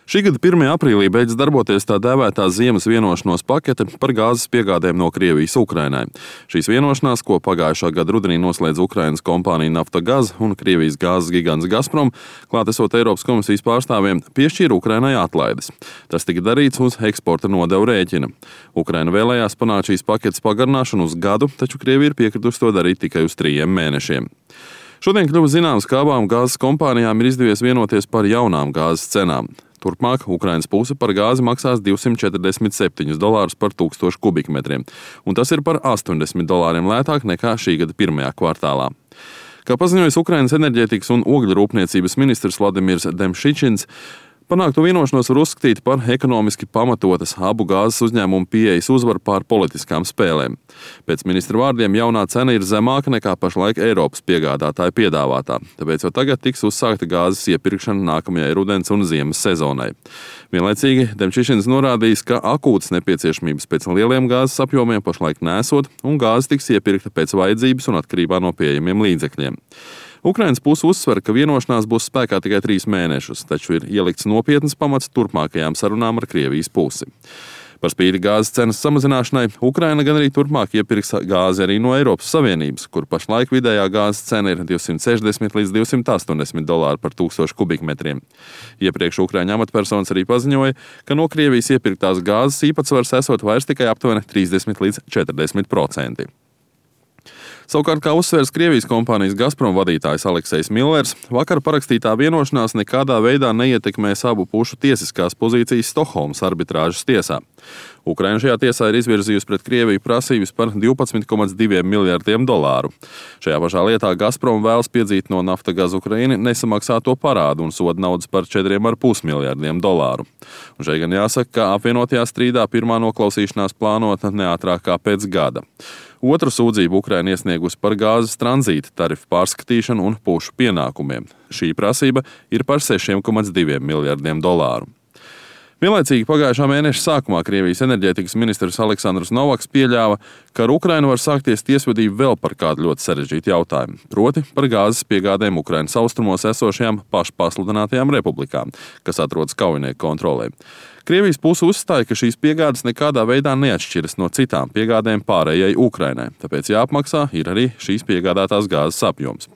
Šī gada 1. aprīlī beidz darboties tā dēvētā ziemas vienošanos pakete par gāzes piegādēm no Krievijas Ukrainai. Šīs vienošanās, ko pagājušā gada rudenī noslēdz Ukrainas kompānija Naftagaz un Krievijas gāzes gigants Gazprom, klātesot Eiropas komisijas pārstāvjiem, piešķīra Ukrainai atlaides. Tas tika darīts uz eksporta nodevu rēķina. Ukraina vēlējās panākt šīs paketes pagarināšanu uz gadu, taču Krievija ir piekritusi to darīt tikai uz 3 mēnešiem. Šodien kļuva zināms, ka abām gāzes kompānijām ir izdevies vienoties par jaunām gāzes cenām. Turpmāk Ukrainas puse par gāzi maksās $247 par 1000 kubikmetriem, un tas ir par $80 lētāk nekā šī gada 1. kvartālā. Kā paziņojis Ukrainas enerģētikas un ogļu rūpniecības ministrs Vladimirs Demšičins, panākto vienošanos var uzskatīt par ekonomiski pamatotas abu gāzes uzņēmumu pieejas uzvaru pār politiskām spēlēm. Pēc ministra vārdiem jaunā cena ir zemāka nekā pašlaik Eiropas piegādātāja piedāvātā, tāpēc jau tagad tiks uzsākta gāzes iepirkšana nākamajai rudens un ziemas sezonai. Vienlaicīgi Demšičins norādījis, ka akūtas nepieciešamības pēc lieliem gāzes apjomiem pašlaik nesot, un gāze tiks iepirkta pēc vajadzības un atkarībā no pieejamiem līdzekļiem. Ukrainas puse uzsver, ka vienošanās būs spēkā tikai 3 mēnešus, taču ir ielikts nopietnas pamats turpmākajām sarunām ar Krievijas pusi. Par spīti gāzes cenas samazināšanai, Ukraina gan arī turpmāk iepirks gāzi arī no Eiropas Savienības, kur pašlaik vidējā gāzes cena ir $260 līdz $280 par 1000 kubikmetriem. Iepriekš Ukraiņu amatpersonas arī paziņoja, ka no Krievijas iepirktās gāzes īpatsvars esot vairs tikai aptuveni 30 līdz 40%. Savukārt, kā uzsvērs Krievijas kompānijas Gazprom vadītājs Aleksejs Millers, vakar parakstītā vienošanās nekādā veidā neietekmēs abu pušu tiesiskās pozīcijas Stokholmas arbitrāžas tiesā. Ukraina šajā tiesā ir izvirzījusi pret Krieviju prasības par $12,2 miljardiem. Šajā pašā lietā Gazprom vēlas piedzīt no Naftagaz Ukraina nesamaksāto parādu un soda naudas par $4,5 miljardiem. Un šeit gan jāsaka, ka apvienotajā strīdā pirmā noklausīšanās plānota neātrāk kā pēc gada. Otru sūdzību Ukraina iesniegusi par gāzes tranzīta tarifu pārskatīšanu un pušu pienākumiem. Šī prasība ir par $6,2 miljardiem. Vienlaicīgi pagājušā mēneša sākumā Krievijas enerģētikas ministrs Aleksandrs Novaks pieļāva, ka ar Ukrainu var sākties tiesvedība vēl par kādu ļoti sarežģītu jautājumu, proti par gāzes piegādēm Ukrainas austrumos esošajām pašpasludinātajām republikām, kas atrodas kaujinieku kontrolē. Krievijas puse uzstāja, ka šīs piegādes nekādā veidā neatšķiras no citām piegādēm pārējai Ukrainai, tāpēc jāapmaksā ir arī šīs piegādātās gāzes apjoms.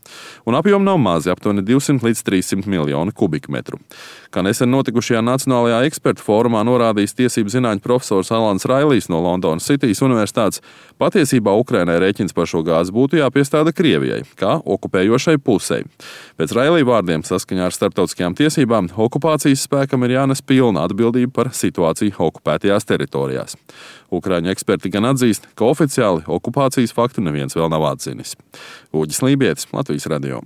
Un apjomi nav mazi, aptuveni 200 līdz 300 miljoni kubikmetru. Kā nesen notikušajā Nacionālajā ekspertu fórumā norādījis tiesību zinātņu profesors Alans Railijs no Londonas Citijas universitātes, patiesībā Ukrainai rēķins par šo gāzi būtu jāpiestāda Krievijai, kā okupējošai pusei. Pēc Railija vārdiem, saskaņā ar starptautiskajām tiesībām, okupācijas spēkam ir jānes pilna atbildība par situāciju okupētajās teritorijās. Ukraiņu eksperti gan atzīst, ka oficiāli okupācijas faktu neviens vēl nav atzinis. Uģis Lībietis, Latvijas radio.